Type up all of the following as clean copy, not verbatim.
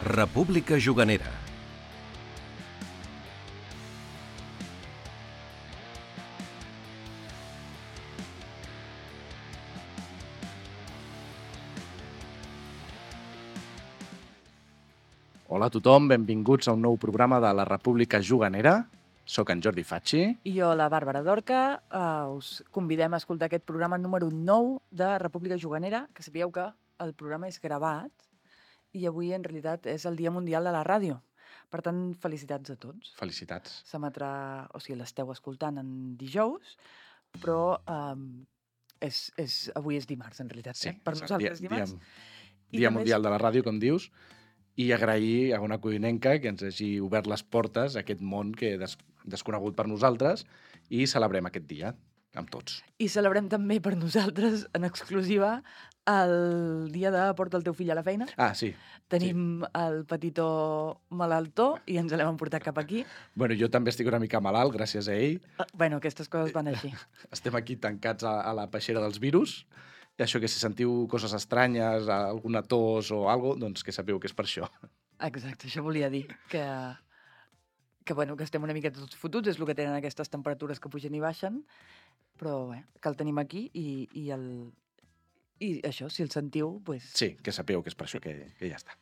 República Juganera. Hola a tothom, benvinguts a un nou programa de la República Juganera. Soc en Jordi Facci. I jo, la Bàrbara Dorca, us convidem a escoltar aquest programa número 9 de República Juganera, que sapigueu que el programa és gravat i avui en realitat és el Dia Mundial de la Ràdio. Per tant, felicitats a tots. Felicitats. S'emetrà, o sigui, l'esteu escoltant en dijous, però avui és dimarts, en realitat. Sí, Per nosaltres dimarts. Dia Mundial de la Ràdio, com dius, i agrair a una codinenca que ens hagi obert les portes a aquest món que desconegut per nosaltres i celebrem aquest dia amb tots. I celebrem també per nosaltres, en exclusiva, el dia de porta el teu fill a la feina. Ah, sí. Tenim el petitó malaltó i ens l'hem portat cap aquí. Bueno, jo també estic una mica malalt, gràcies a ell. Bueno, aquestes coses van així. Estem aquí tancats a la peixera dels virus. I això, que si sentiu coses estranyes, alguna tos o alguna cosa, doncs que sapeu que és per això. Exacte, això volia dir, que estem una mica tots fotuts, és el que tenen aquestes temperatures que pugen i baixen, però bé, que el tenim aquí i això, si el sentiu... Pues... Sí, que sapeu que és per això que ja està.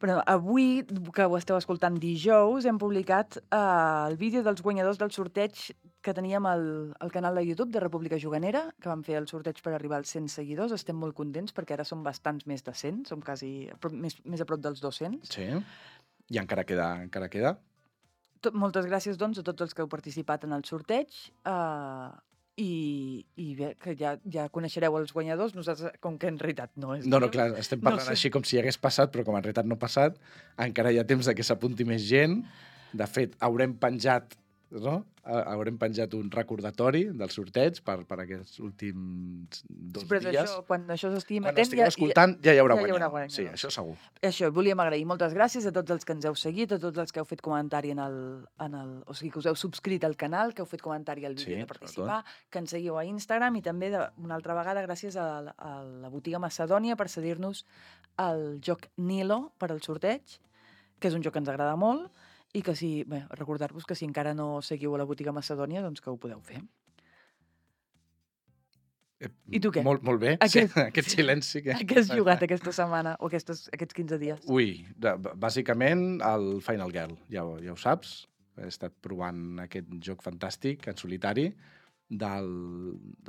Però avui, que ho esteu escoltant dijous, hem publicat el vídeo dels guanyadors del sorteig que teníem al canal de YouTube de República Juganera, que vam fer el sorteig per arribar als 100 seguidors. Estem molt contents perquè ara som bastants més de 100, som quasi més a prop dels 200. Sí, i encara queda. Moltes gràcies, doncs, a tots els que heu participat en el sorteig. I bé, que ja coneixereu els guanyadors, nosaltres, com que en realitat no és... No, clar, estem parlant així com si hagués passat, però com en realitat no ha passat, encara hi ha temps de que s'apunti més gent. De fet, haurem penjat un recordatori del sorteig per aquests últims 2 però dies. Això, quan això s'estigui Quan emetent... estigueu escoltant ja hi haurà guanyador. Sí, això segur. Això, volíem agrair moltes gràcies a tots els que ens heu seguit, a tots els que heu fet comentari o sigui, que us heu subscrit al canal, que heu fet comentari al vídeo de participar, que ens seguiu a Instagram i també una altra vegada gràcies a la botiga Macedònia per cedir-nos el joc Nilo per al sorteig, que és un joc que ens agrada molt, i que recordar-vos que si encara no seguiu a la botiga Macedònia, doncs que ho podeu fer. I tu què? Molt bé, aquest silenci. Què has jugat aquesta setmana o aquests 15 dies? Ui, bàsicament el Final Girl, ja ho saps. He estat provant aquest joc fantàstic en solitari de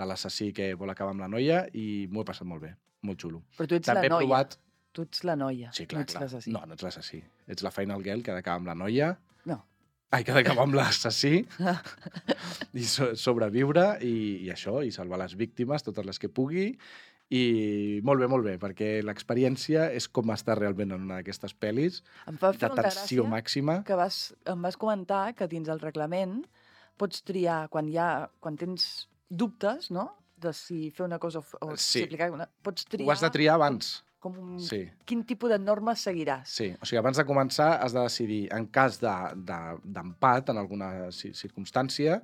l'assassí que vol acabar amb la noia i m'ho he passat molt bé, molt xulo. Però tu ets també la noia. Provat... Tu ets la noia, sí, clar, no ets l'assassí. No ets l'assassí. Ets la Final Girl que ha d'acabar amb la noia. No. Ai, que ha d'acabar amb l'assassí i sobreviure i això, i salvar les víctimes, totes les que pugui. I molt bé, perquè l'experiència és com estar realment en una d'aquestes pel·lis de tensió màxima. Que em vas comentar que dins el reglament pots triar, quan tens dubtes, no?, de si fer una cosa o si aplicar una... Pots triar... Ho has de triar abans. Quin tipus de normes seguiràs. Sí, o sigui, abans de començar has de decidir, en cas d'empat en alguna circumstància,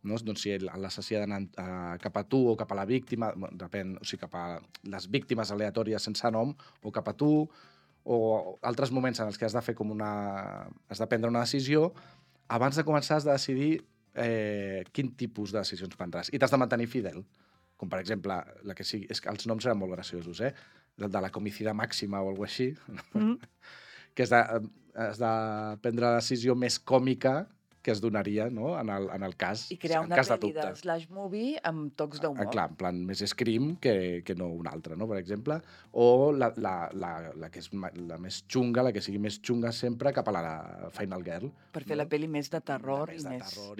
no? Doncs si l'assassí ha d'anar cap a tu o cap a la víctima, depèn, o sigui, cap a les víctimes aleatòries sense nom, o cap a tu, o altres moments en els que has de fer has de prendre una decisió, abans de començar has de decidir quin tipus de decisions prendràs. I t'has de mantenir fidel. Com, per exemple, la que sigui... És que els noms eren molt graciosos, de la comicida màxima o alguna així, que has de prendre la decisió més còmica que es donaria, no?, en el cas. I crear una pel·li de slash movie amb tocs d'humor. Clar, en plan, més Scream que no una altra, no?, per exemple. O la que és la més xunga, la que sigui més xunga sempre cap a la Final Girl. Per fer la pel·li més de terror i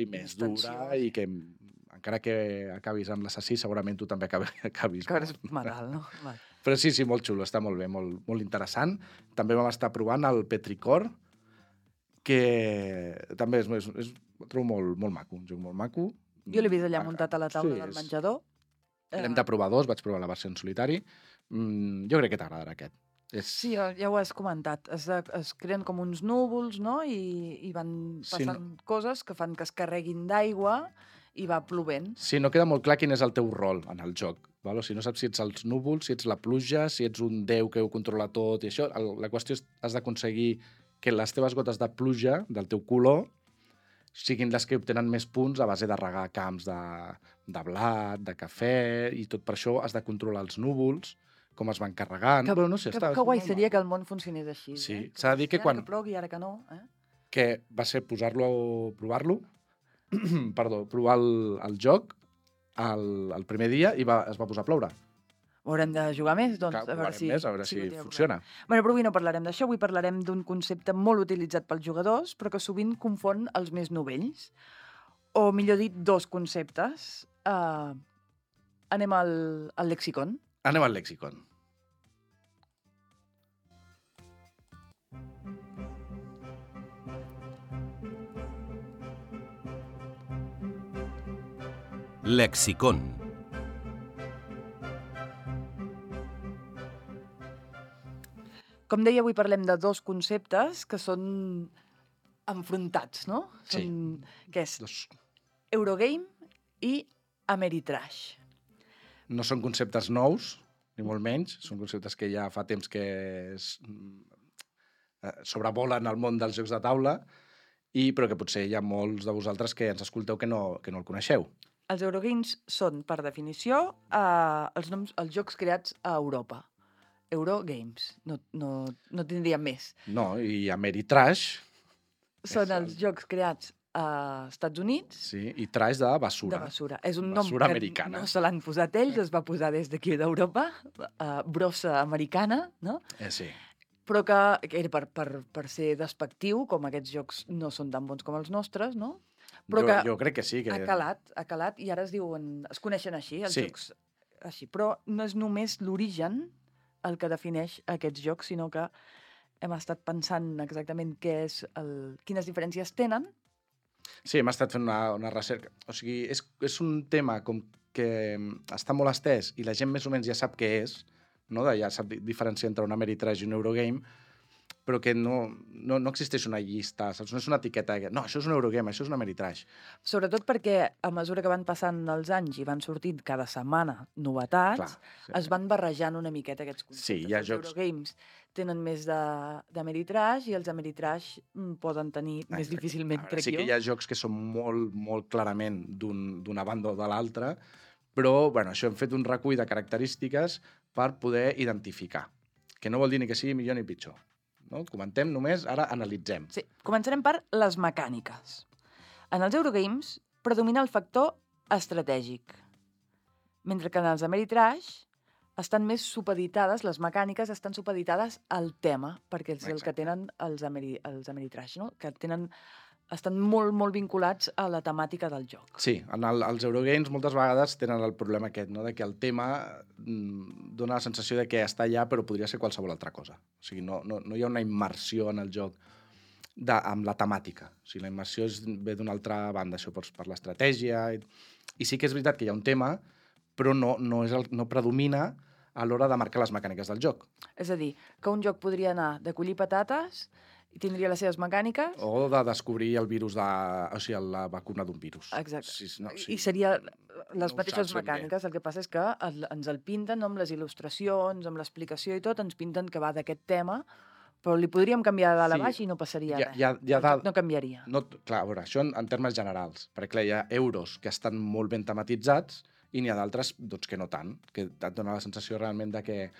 més dura i que... Encara que acabis amb l'assassí, segurament tu també acabis. Que eres malalt, no? Però sí, molt xulo, està molt bé, molt interessant. També vam estar provant el Petrichor, que també ho trobo molt maco, un joc molt maco. Jo l'he vist allà muntat a la taula del menjador. L'hem de provar 2, vaig provar la versió en solitari. Jo crec que t'agradarà aquest. Sí, ja ho has comentat. Es creen com uns núvols, no?, i van passant coses que fan que es carreguin d'aigua i va plovent. Sí, no queda molt clar quin és el teu rol en el joc. Val? O sigui, no saps si ets els núvols, si ets la pluja, si ets un déu que ho controla tot i això. La qüestió és has d'aconseguir que les teves gotes de pluja, del teu color, siguin les que obtenen més punts a base de regar camps de blat, de cafè, i tot per això has de controlar els núvols, com es van carregant. Que, Però no sé, que guai seria que el món funcionés així. Sí, Que s'ha de dir que quan... Ara que plogui, ara que no. Que va ser provar-lo, perdó, provar el joc el primer dia i es va posar a ploure. Haurem de jugar més, doncs, Clar, a veure si... a veure si funciona. Bueno, però avui no parlarem d'això, avui parlarem d'un concepte molt utilitzat pels jugadors, però que sovint confon els més novells. O, millor dit, dos conceptes. Anem al lexicon. Anem al lexicon. Lexicon. Com deia, avui parlem de dos conceptes que són enfrontats, no? Sí. Que és Eurogame i Ameritrash. No són conceptes nous, ni molt menys. Són conceptes que ja fa temps que sobrevolen el món dels jocs de taula, però que potser hi ha molts de vosaltres que ens escolteu que no el coneixeu. Els Eurogames són, per definició, els jocs creats a Europa. Eurogames. No tindríem més. No, i Ameritrash... Són els jocs creats a Estats Units. Sí, i trash de basura. De basura. És un nom basura que americana. no se l'han posat ells, es va posar des d'aquí d'Europa, brossa americana, no? Sí. Però que era per ser despectiu, com aquests jocs no són tan bons com els nostres, no? Però jo crec que sí. Que... Ha calat, i ara es coneixen així, els jocs així. Però no és només l'origen el que defineix aquests jocs, sinó que hem estat pensant exactament quines diferències tenen. Sí, hem estat fent una recerca. O sigui, és un tema com que està molt estès i la gent més o menys ja sap què és, no? Ja sap diferenciar entre un Ameritrash i un Eurogame, però que no existeix una llista, saps? No és una etiqueta. No, això és un Eurogame, això és un Ameritrash. Sobretot perquè a mesura que van passant els anys i van sortint cada setmana novetats, es van barrejant una miqueta aquests conceptes. Sí, hi ha jocs... Els Eurogames tenen més d'Ameritrash i els Ameritrash poden tenir més difícilment, crec jo. Sí que hi ha jocs que són molt, molt clarament d'una banda o de l'altra, però això hem fet un recull de característiques per poder identificar, que no vol dir ni que sigui millor ni pitjor. No? Comentem només, ara analitzem. Sí, començarem per les mecàniques. En els Eurogames predomina el factor estratègic, mentre que en els Ameritrash estan més supeditades, les mecàniques estan supeditades al tema, perquè és el que tenen els Ameritrash, no? Que estan molt, molt vinculats a la temàtica del joc. Sí, els Eurogames moltes vegades tenen el problema aquest, no? De que el tema dona la sensació de que està allà però podria ser qualsevol altra cosa. O sigui, no hi ha una immersió en el joc amb la temàtica. O sigui, la immersió ve d'una altra banda, això per l'estratègia. I sí que és veritat que hi ha un tema, però no predomina a l'hora de marcar les mecàniques del joc. És a dir, que un joc podria anar de collir patates i tindria les seves mecàniques... O de descobrir el virus la vacuna d'un virus. Exacte. I seria les mateixes mecàniques. El que passa és que ens el pinten amb les il·lustracions, amb l'explicació i tot, ens pinten que va d'aquest tema, però li podríem canviar de dalt a baix i no passaria res. No canviaria. Clar, a veure, això en termes generals. Perquè clar, hi ha euros que estan molt ben tematitzats i n'hi ha d'altres que no tant, que et dona la sensació realment de que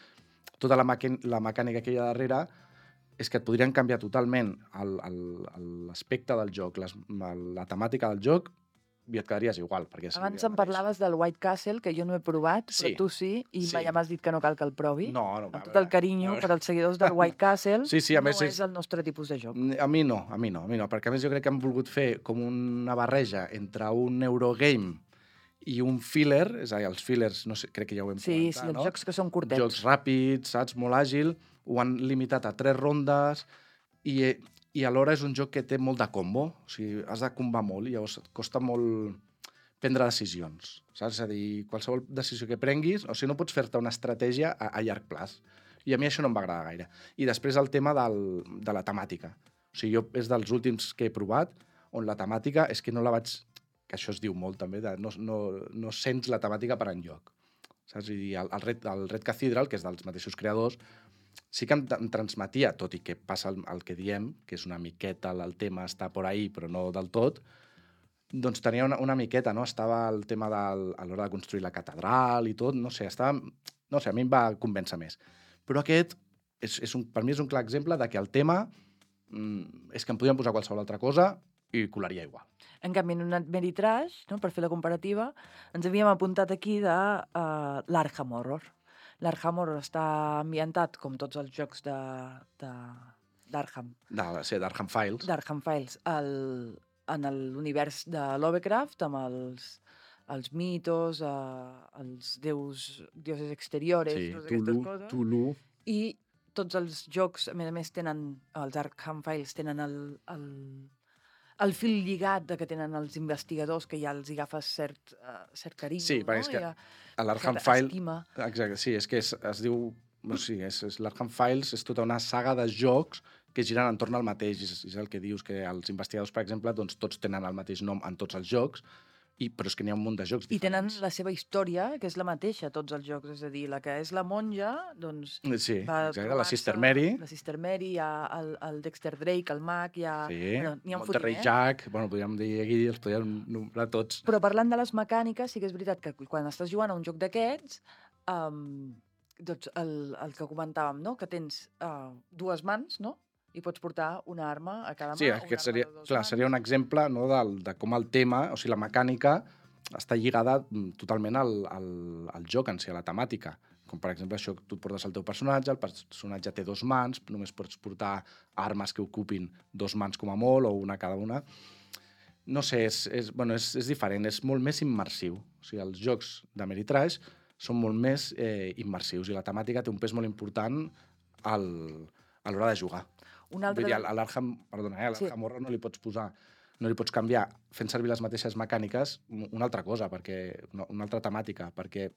tota la mecànica que hi ha darrere és que et podrien canviar totalment l'aspecte del joc, la temàtica del joc, i et quedaries igual. Abans em parlaves del White Castle, que jo no he provat, però tu sí, i ja m'has dit que no cal que el provi. No. Amb tot el carinyo per als seguidors del White Castle, no és el nostre tipus de joc. A mi no, perquè a més jo crec que han volgut fer com una barreja entre un Eurogame i un filler, és a dir, els fillers, no sé, crec que ja ho hem comentat, Sí, els jocs que són curtets. Jocs ràpids, saps, molt àgil, ho han limitat a 3 rondes i alhora és un joc que té molt de combo, o sigui, has de combar molt i llavors et costa molt prendre decisions, saps? És a dir, qualsevol decisió que prenguis, o sigui, no pots fer-te una estratègia a llarg plaç. I a mi això no em va agradar gaire. I després el tema de la temàtica. O sigui, jo és dels últims que he provat on la temàtica és que no la vaig que això es diu molt també, no sents la temàtica per enlloc. Saps? I el Red Cathedral, que és dels mateixos creadors, sí que em transmetia, tot i que passa el que diem, que és una miqueta, el tema està por ahí, però no del tot, doncs tenia una miqueta, no? Estava el tema a l'hora de construir la catedral i tot, no sé, a mi em va convèncer més. Però aquest, per mi és un clar exemple de que el tema és que em podien posar qualsevol altra cosa i colaria igual. En canvi, en un Meritrash, no, per fer la comparativa, ens havíem apuntat aquí de l'Arkham Horror. L'Arkham Horror està ambientat, com tots els jocs d'Arkham. D'Arkham Files. D'Arkham Files, en l'univers de Lovecraft, amb els mitos, els dioses exteriores, totes aquestes coses. Tulu. I tots els jocs, a més tenen, els Arkham Files tenen el fil lligat que tenen els investigadors, que ja els agafes cert carinyo. Sí, perquè és que l'Arkham Files... Exacte, sí, és que es diu... No, sí, l'Arkham Files és tota una saga de jocs que giren entorn al mateix. És el que dius, que els investigadors, per exemple, doncs, tots tenen el mateix nom en tots els jocs, però és que n'hi ha un munt de jocs diferents. I tenen la seva història, que és la mateixa, tots els jocs. És a dir, la que és la monja, doncs... Sí, exacte, la Sister Mary. La Sister Mary, hi ha el Dexter Drake, el mag, hi ha... Sí, n'hi ha un Monterrey Jack, podríem dir aquí, els podríem nombrar tots. Però parlant de les mecàniques, sí que és veritat que quan estàs jugant a un joc d'aquests, doncs el que comentàvem, no? Que tens dues mans, no? I pots portar una arma a cada mà. Sí, aquest seria un exemple, no, de com el tema, o sigui, la mecànica està lligada totalment al joc en si, a la temàtica. Com, per exemple, això, tu et portes el teu personatge, el personatge té dues mans, només pots portar armes que ocupin dues mans com a molt, o una cada una. No sé, és diferent, és molt més immersiu. O sigui, els jocs d'Ameritrash són molt més immersius i la temàtica té un pes molt important a l'hora de jugar. Vull dir, a l'Arkham Horror no li pots posar, no li pots canviar fent servir les mateixes mecàniques una altra cosa, una altra temàtica, perquè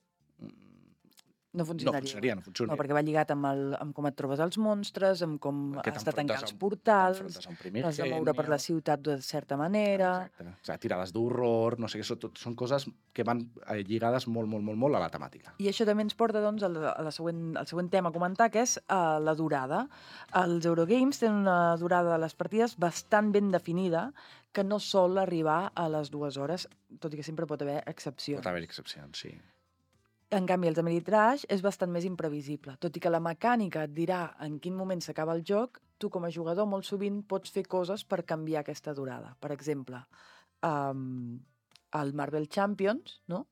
no funcionaria. No funciona. No, perquè va lligat amb com et trobes els monstres, amb com has de tancar els portals, has de moure per la ciutat de certa manera... Exacte. O sigui, tirades d'horror, no sé què, són coses que van lligades molt, molt, molt, molt a la temàtica. I això també ens porta, doncs, al següent tema a comentar, que és la durada. Els Eurogames tenen una durada de les partides bastant ben definida, que no sol arribar a les 2 hores, tot i que sempre pot haver excepcions. Pot haver excepcions, sí. En canvi, els Ameritrash és bastant més imprevisible. Tot i que la mecànica et dirà en quin moment s'acaba el joc, tu com a jugador molt sovint pots fer coses per canviar aquesta durada. Per exemple, el Marvel Champions, no?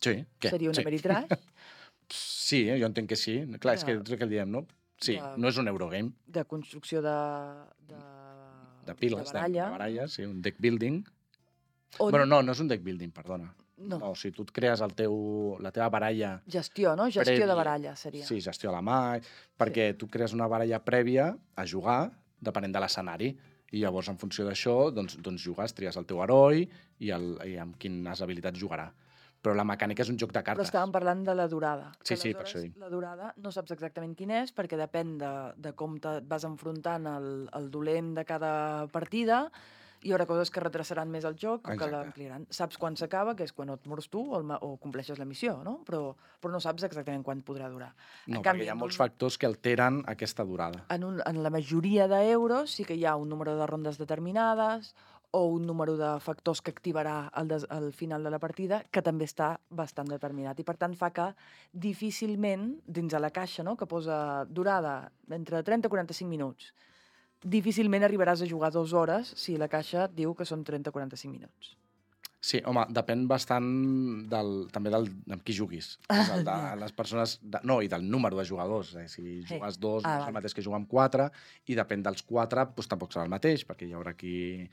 Sí. Què? Seria un Ameritrash? Sí, jo entenc que sí. Clar, és que el que diem, no? Sí, no és un Eurogame. De construcció de piles, de baralles, sí, un deck building. Bueno, no és un deck building, perdona. No, o sigui, tu et crees la teva baralla... Gestió, no? Gestió de baralla, seria. Sí, gestió a la mà, perquè tu crees una baralla prèvia a jugar, depenent de l'escenari, i llavors, en funció d'això, doncs jugues, tries el teu heroi i amb quines habilitats jugarà. Però la mecànica és un joc de cartes. Però estàvem parlant de la durada. Sí, per això dic. La durada no saps exactament quin és, perquè depèn de com et vas enfrontant el dolent de cada partida. Hi haurà coses que retrasaran més el joc o que l'ampliaran. Saps quan s'acaba, que és quan et mors tu o compleixes la missió, no? Però no saps exactament quan podrà durar. No, perquè hi ha molts factors que alteren aquesta durada. En la majoria d'euros sí que hi ha un número de rondes determinades o un número de factors que activarà al final de la partida, que també està bastant determinat. I per tant fa que difícilment, dins de la caixa, no?, que posa durada entre 30 i 45 minuts, difícilment arribaràs a jugar 2 hores si la caixa et diu que són 30 o 45 minuts. Sí, home, depèn bastant també amb qui juguis. De les persones... i del número de jugadors. Si jugues 2, no és el mateix que jugar amb 4, i depèn dels 4, doncs tampoc serà el mateix, perquè hi haurà qui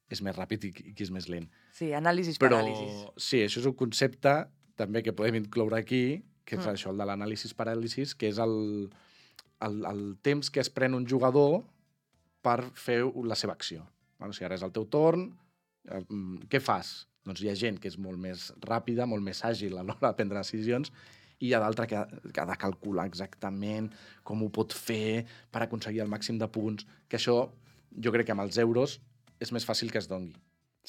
és més ràpid i qui és més lent. Sí, anàlisis paràlisis. Sí, això és un concepte també que podem incloure aquí, que és això, el de l'anàlisis paràlisis, que és el temps que es pren un jugador per fer la seva acció. O sigui, ara és el teu torn, què fas? Doncs hi ha gent que és molt més ràpida, molt més àgil a l'hora de prendre decisions, i hi ha d'altra que ha de calcular exactament com ho pot fer per aconseguir el màxim de punts, que això jo crec que amb els euros és més fàcil que es dongui.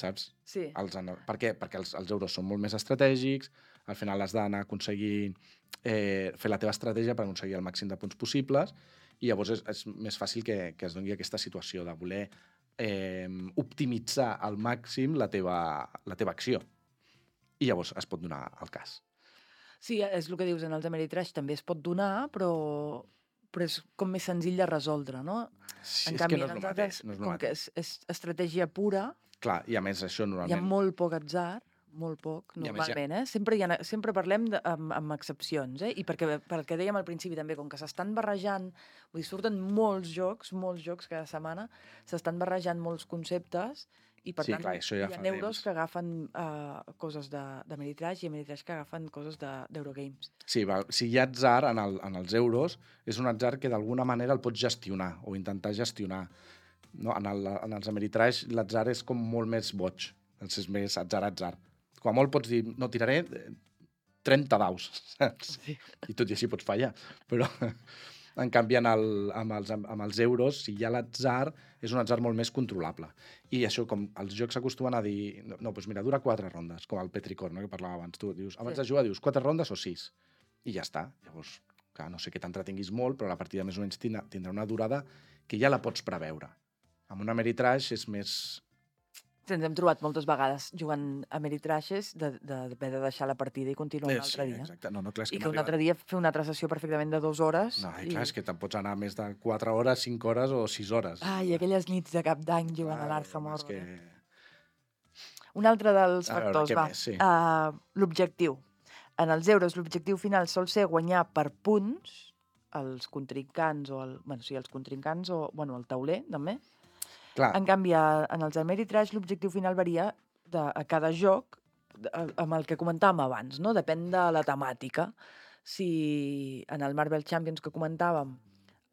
saps? Sí. Per què? Perquè els euros són molt més estratègics, al final has d'anar a aconseguir fer la teva estratègia per aconseguir el màxim de punts possibles, i llavors és més fàcil que es doni aquesta situació de voler optimitzar al màxim la teva acció. I llavors es pot donar el cas. Sí, és el que dius, en els Ameritrash també es pot donar, però és com més senzill de resoldre, no? Sí, En és canvi, que no és en el els altres, mateix. No és el com que mateix. és estratègia pura, Clar, i a més això hi ha normalment... molt poc atzar, molt poc, I a més normalment, Sempre parlem amb excepcions, I perquè dèiem al principi també, com que s'estan barrejant, vull dir, surten molts jocs cada setmana, s'estan barrejant molts conceptes, i per Sí, tant clar, això ja hi ha fa euros temps. que agafen coses d'Ameritrash i Ameritrash que agafen coses d'Eurogames. Sí, si hi ha atzar en els euros, és un atzar que d'alguna manera el pots gestionar o intentar gestionar. No? En els Ameritrash l'atzar és com molt més boig, és més atzar. Com a molt pots dir, no, tiraré 30 daus, saps? Sí. I tot i així pots fallar. Però, en canvi, amb els euros, si hi ha l'atzar, és un atzar molt més controlable. I això, com els jocs acostumen a dir, no, doncs mira, dura 4 rondes, com el Petrichor, no?, que parlava abans. Tu dius, abans de jugar dius 4 rondes o 6, i ja està. Llavors, clar, no sé que t'entretinguis molt, però la partida més o menys tindrà una durada que ja la pots preveure. Amb un Ameritrash és més... Ens hem trobat moltes vegades jugant Ameritrashes d'haver de deixar la partida i continuar un altre dia. Exacte. No, clar, és I que que un altre dia fer una altra sessió perfectament de 2 hores. No, clar, és que te'n pots anar més de 4 hores, 5 hores o 6 hores. Ai, aquelles nits de cap d'any jugant a l'Arkham és Horror. que... Un altre dels A veure, factors, què va. més? Sí. L'objectiu. En els euros, l'objectiu final sol ser guanyar per punts els contrincants els contrincants o el tauler, també. Clar, En canvi, en els Ameritrash l'objectiu final varia a cada joc amb el que comentàvem abans, no? Depèn de la temàtica. Si en el Marvel Champions que comentàvem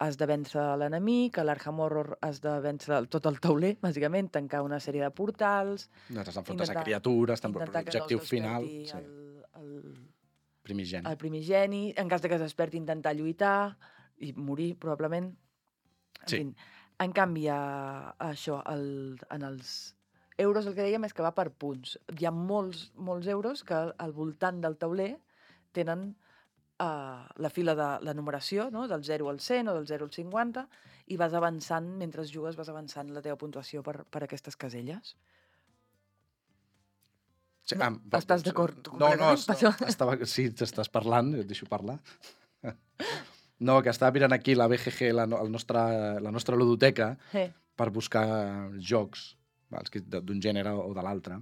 has de vèncer l'enemic, a l'Arkham Horror has de vèncer tot el tauler, bàsicament, tancar una sèrie de portals... no t'has d'enfrontar a intentar- criatures, intentar que no l'objectiu es final... desperti Primigeni. el primigeni, en cas de que es desperti intentar lluitar i morir, probablement. Sí. En canvi, això, en els euros el que dèiem és que va per punts. Hi ha molts euros que al voltant del tauler tenen la fila de la numeració, no? Del 0 al 100 o del 0 al 50, i vas avançant, mentre jugues vas avançant la teva puntuació per aquestes caselles. Sí, Estàs d'acord? No, sí, t'estàs parlant, et deixo parlar. No, que estava mirant aquí la BGG, la nostra ludoteca, per buscar jocs d'un gènere o de l'altre.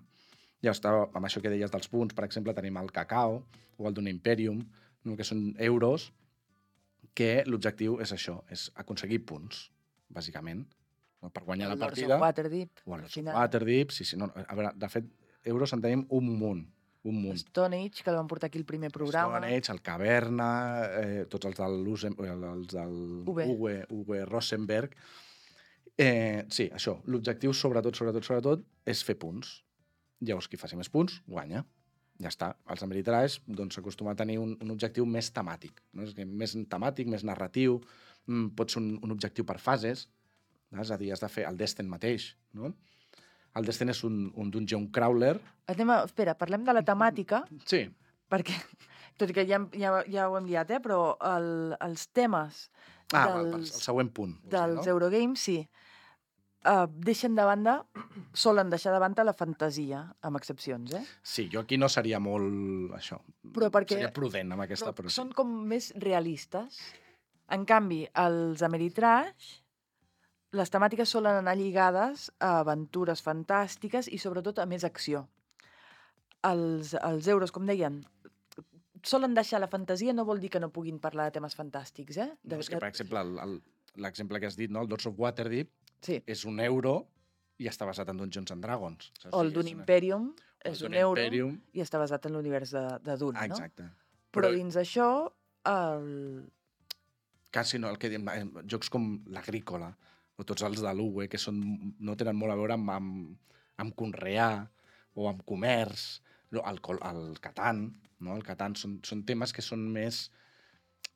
Ja estava amb això que deies dels punts, per exemple, tenim el Cacao o el d'un Imperium, que són euros, que l'objectiu és això, és aconseguir punts, bàsicament, per guanyar la partida. O el Waterdeep, sí, no, a veure, de fet, euros en tenim un munt. Stone Age, que el van portar aquí el primer programa. Stone Age, el Caverna, tots els del Uwe Rosenberg. Sí, això, l'objectiu sobretot és fer punts. Llavors, qui faci més punts, guanya. Ja està. Els Ameritrash s'acostuma a tenir un objectiu més temàtic. No? Més temàtic, més narratiu. Pot ser un objectiu per fases. És a dir, has de fer el Destin mateix, no? El Destin és un dungeon crawler. Espera, parlem de la temàtica. Sí. Perquè, tot i que ja ho hem liat, però els temes el següent punt. Dels Eurogames, sí. Solen deixar de banda la fantasia, amb excepcions, Sí, jo aquí no seria molt, això, seria prudent amb aquesta... Però són com més realistes. En canvi, els Ameritrash, les temàtiques solen anar lligades a aventures fantàstiques i sobretot a més acció. Els euros, com deien, solen deixar la fantasia, no vol dir que no puguin parlar de temes fantàstics, No, és que, per exemple, l'exemple que has dit, no? El Lords of Waterdeep, sí, és un euro i està basat en Dungeons and Dragons. O el d'un Imperium és un euro i està basat en l'univers de Dune, no? Exacte. Però dins això... Quasi no, el que diem, jocs com l'Agrícola o tots els de l'Uwe, que no tenen molt a veure amb conrear o amb comerç, el Catan, no? El Catan són temes que són més...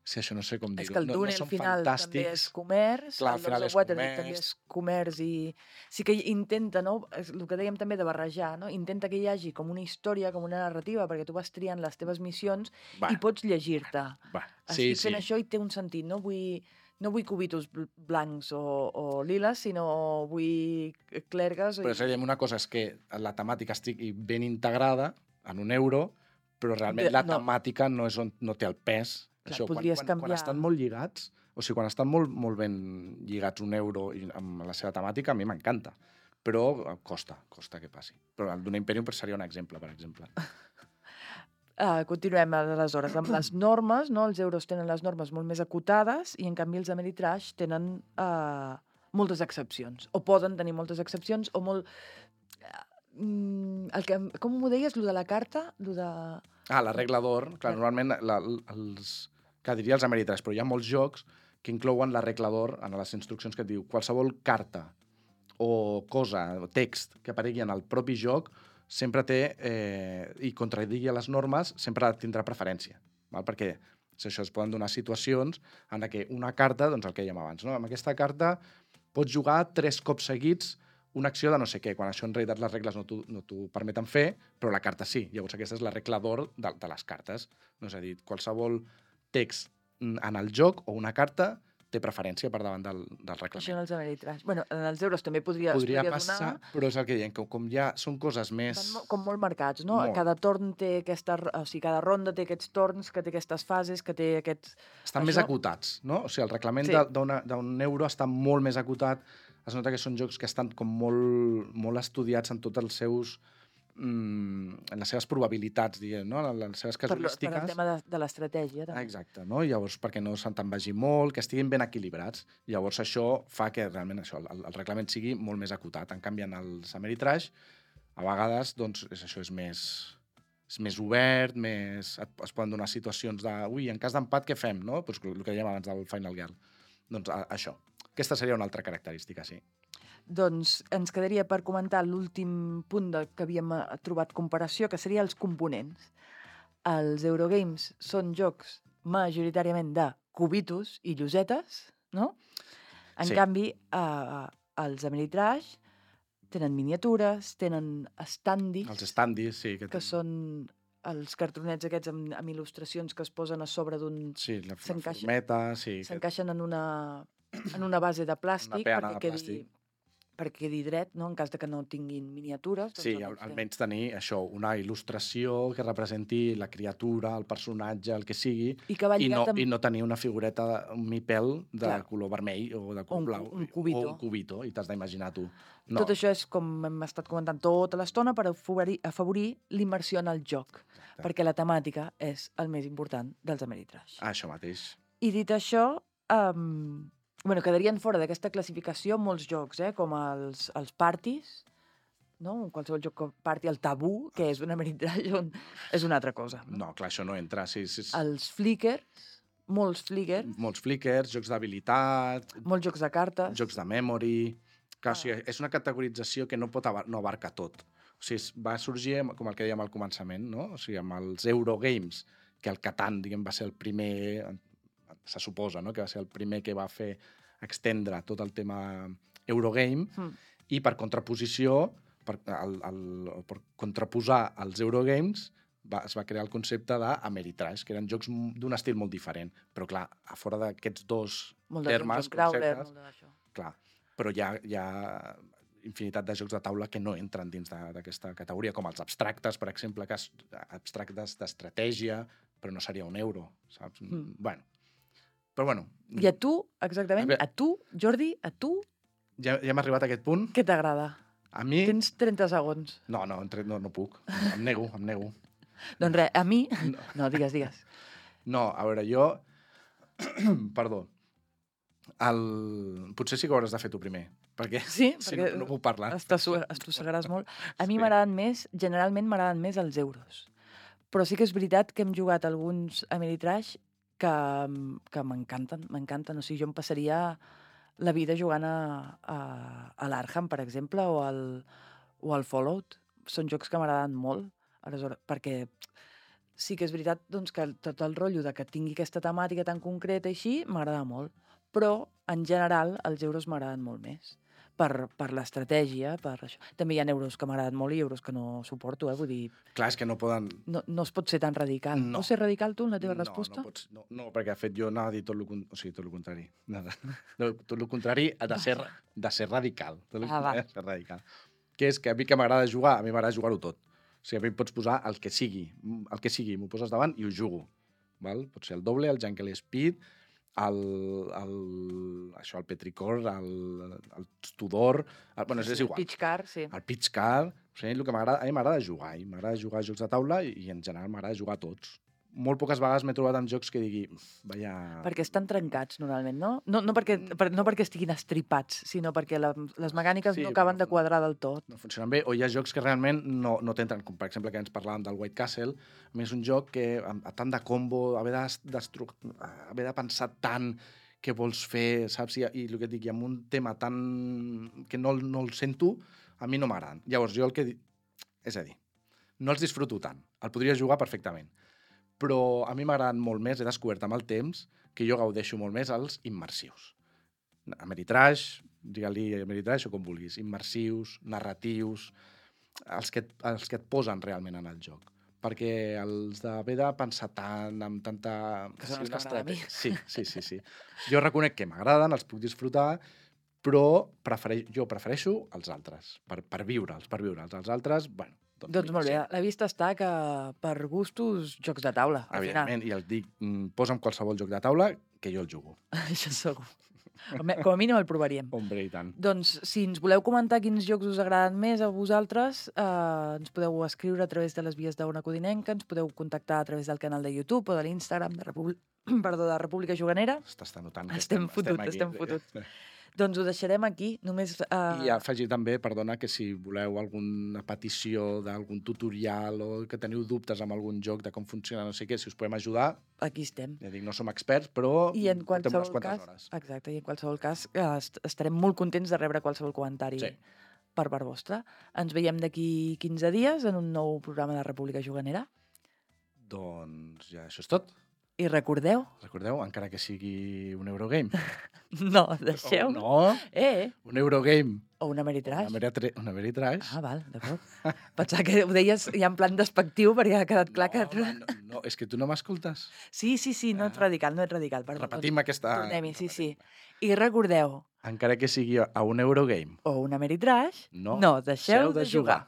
Sí, això no sé com És dir-ho. que el No túnel són final també fantàstics. és comerç, Clar, al el final Dogs és of Waterdeep també comerç. és comerç i sí que intenta, no? És el que dèiem també de barrejar, no? Intenta que hi hagi com una història, com una narrativa, perquè tu vas triant les teves missions Va, i pots llegir-te. va. Sí, Estic fent sí. això i té un sentit, no vull cubitos blancs o liles, sinó vull clergues Però diem una cosa, és que la temàtica estigui ben integrada en un euro, però realment la no. temàtica no té el pes. Clar, Això, podries quan canviar. estan molt lligats, o sigui, quan estan molt ben lligats un euro amb la seva temàtica, a mi m'encanta. Però costa que passi. Però el Dune Imperium seria un exemple, per exemple. Continuem, aleshores, amb les normes, no? Els euros tenen les normes molt més acotades i, en canvi, els Ameritrash tenen moltes excepcions. O poden tenir moltes excepcions, o molt... com ho deies, lo de la carta? Lo de... La regla d'or. Clar, normalment diria els Ameritrash, però hi ha molts jocs que inclouen la regla d'or en les instruccions que et diu qualsevol carta o cosa, o text que aparegui en el propi joc sempre té, i contradigui les normes, sempre tindrà preferència. Val? Perquè això es poden donar situacions en què una carta, doncs el que dèiem abans, no? Amb aquesta carta pots jugar 3 cops seguits una acció de no sé què, quan això en realitat les regles no t'ho permeten fer, però la carta sí. Llavors aquesta és la regla d'or de les cartes. No? És a dir, qualsevol text en el joc o una carta té preferència per davant del reglament. Això en els Ameritrash. Bueno, en els euros també podria passar, donar... però és el que diem, que com ja són coses més... Com molt marcats, no? Molt. Cada torn té cada ronda té aquests torns, que té aquestes fases, que té aquests... Estan més acotats, no? O sigui, el reglament d'un euro està molt més acotat. Es nota que són jocs que estan com molt estudiats en tots els seus... en les seves probabilitats, diguem, no? En les seves casuístiques. Per el tema de l'estratègia, també. Exacte, no? Llavors, perquè no se'n te'n vagi molt, que estiguin ben equilibrats. Llavors, això fa que realment el reglament sigui molt més acotat. En canvi, en els Ameritrash, a vegades, doncs, és més obert, es poden donar situacions de en cas d'empat, què fem, no? Pues el que dèiem abans del Final Girl. Doncs això. Aquesta seria una altra característica, sí. Doncs ens quedaria per comentar l'últim punt que havíem trobat comparació, que seria els components. Els Eurogames són jocs majoritàriament de cubitos i llosetes, no? En canvi, els Ameritrash tenen miniatures, tenen standees. Els standees, sí. Que són els cartronets aquests amb il·lustracions que es posen a sobre d'un... Sí, la formeta, sí. S'encaixen en una base de plàstic perquè quedi dret, no? En cas de que no tinguin miniatures. Sí, almenys tenir això, una il·lustració que representi la criatura, el personatge, el que sigui, i no tenir una figureta, un mipel de color vermell o de color blau. Un cubito. O un cubito, i t'has d'imaginar tu. No. Tot això és, com hem estat comentant tota l'estona, per afavorir l'immersió en el joc. Exacte. Perquè la temàtica és el més important dels Ameritrash. Això mateix. I dit això... quedarien fora d'aquesta classificació molts jocs, com els parties, no? Qualsevol joc party, el tabú, que és un Ameritrash, és una altra cosa. No, clar, això no entra. Sí. Els flickers, molts flickers, jocs d'habilitat... Molts jocs de cartes. Jocs de memory... Clar, o sigui, és una categorització que no abarca tot. O sigui, va sorgir, com el que dèiem al començament, no? O sigui, amb els Eurogames, que el Catan, diguem, va ser el primer... se suposa, no? Que va ser el primer que va fer extendre tot el tema Eurogame, i per contraposició, per contraposar els Eurogames, es va crear el concepte d'Ameritrash, que eren jocs d'un estil molt diferent. Però, clar, a fora d'aquests dos termes, conceptes... Clar, però hi ha infinitat de jocs de taula que no entren dins d'aquesta categoria, com els abstractes, per exemple, abstractes d'estratègia, però no seria un euro, saps? Bueno, però bueno... I a tu, exactament, a tu, Jordi, a tu... Ja hem arribat a aquest punt. Què t'agrada? A mi... Tens 30 segons. No puc. Em nego. Doncs res, a mi... No, digues. No, a veure, jo... Perdó. Potser sí que ho hauràs de fer tu primer, perquè perquè no puc parlar. Estossegaràs molt. A mi generalment m'agraden més els euros. Però sí que és veritat que hem jugat alguns Ameritrash que m'encanten. O sigui, jo em passaria la vida jugant a l'Arkham, per exemple, o al Fallout. Són jocs que m'agraden molt, aleshores, perquè sí que és veritat doncs, que tot el rotllo de que tingui aquesta temàtica tan concreta i així m'agrada molt. Però, en general, els euros m'agraden molt més. Per l'estratègia, per això. També hi ha euros que m'agraden molt i euros que no suporto, vull dir... Clar, és que no poden... No es pot ser tan radical. No. Pots ser radical tu en la teva resposta? No, perquè de fet jo anava a dir tot el contrari. Tot el contrari ha de ser radical. Va. Ser radical. Que és que a mi que m'agrada jugar, a mi m'agrada jugar-ho tot. O sigui, a mi em pots posar el que sigui, m'ho poses davant i ho jugo. Val? Pot ser el doble, el Jungle Speed, el Petrichor, el Tudor, és igual. El Pitch Car, sí. El Pitch Car, o sigui, a mi m'agrada jugar, m'agrada jugar a jocs de taula i en general m'agrada jugar a tots. Molt poques vegades m'he trobat amb jocs que digui, vaya... Perquè estan trencats, normalment, no? No perquè estiguin estripats, sinó perquè les mecàniques no acaben de quadrar del tot. No funcionen bé, o hi ha jocs que realment no t'entren, com per exemple que ens parlàvem del White Castle, a mi és un joc que, a tant de combo, haver de pensar tant què vols fer, saps? I el que et dic, i amb un tema tan... que no el sento, a mi no m'agraden. Llavors, jo el que... És a dir, no els disfruto tant. El podria jugar perfectament. Però a mi m'agraden molt més, he descobert amb el temps, que jo gaudeixo molt més els immersius. Ameritrash, digue-li Ameritrash o com vulguis, immersius, narratius, els que et posen realment en el joc. Perquè els d'haver de pensar tant, amb tanta... Que són els que m'agraden a mi. Sí. Jo reconec que m'agraden, els puc disfrutar, però jo prefereixo els altres, per viure'ls. Els altres, bueno... Doncs molt bé, la vista està que per gustos, jocs de taula, al final. Evidentment, i el dic, posa'm qualsevol joc de taula que jo el jugo. Això segur. Com a mínim el provaríem. Hombre, i tant. Doncs, si ens voleu comentar quins jocs us agraden més a vosaltres, ens podeu escriure a través de les vies d'Ona Codinenca, ens podeu contactar a través del canal de YouTube o de l'Instagram de República Juganera. Estàs notant que estem fotuts. Doncs ho deixarem aquí. Només, I afegir també, perdona, que si voleu alguna petició d'algun tutorial o que teniu dubtes amb algun joc de com funciona, no sé què, si us podem ajudar... Aquí estem. Ja dic, no som experts, però I en portem unes quantes cas, hores. Exacte, i en qualsevol cas estarem molt contents de rebre qualsevol comentari per part vostra. Ens veiem d'aquí 15 dies en un nou programa de República Juganera. Doncs ja això és tot. I recordeu, encara que sigui un Eurogame. no, deixeu. No, un Eurogame. O un Ameritrash. Un Ameritrash. Ah, val, d'acord. Pensava que ho deies ja en plan despectiu perquè ha quedat clar que... No, és que tu no m'escoltes. Sí, no ets radical. Perdó. Repetim aquesta... Tornem-hi, sí. I recordeu... Encara que sigui a un Eurogame. O un Ameritrash, no deixeu de jugar.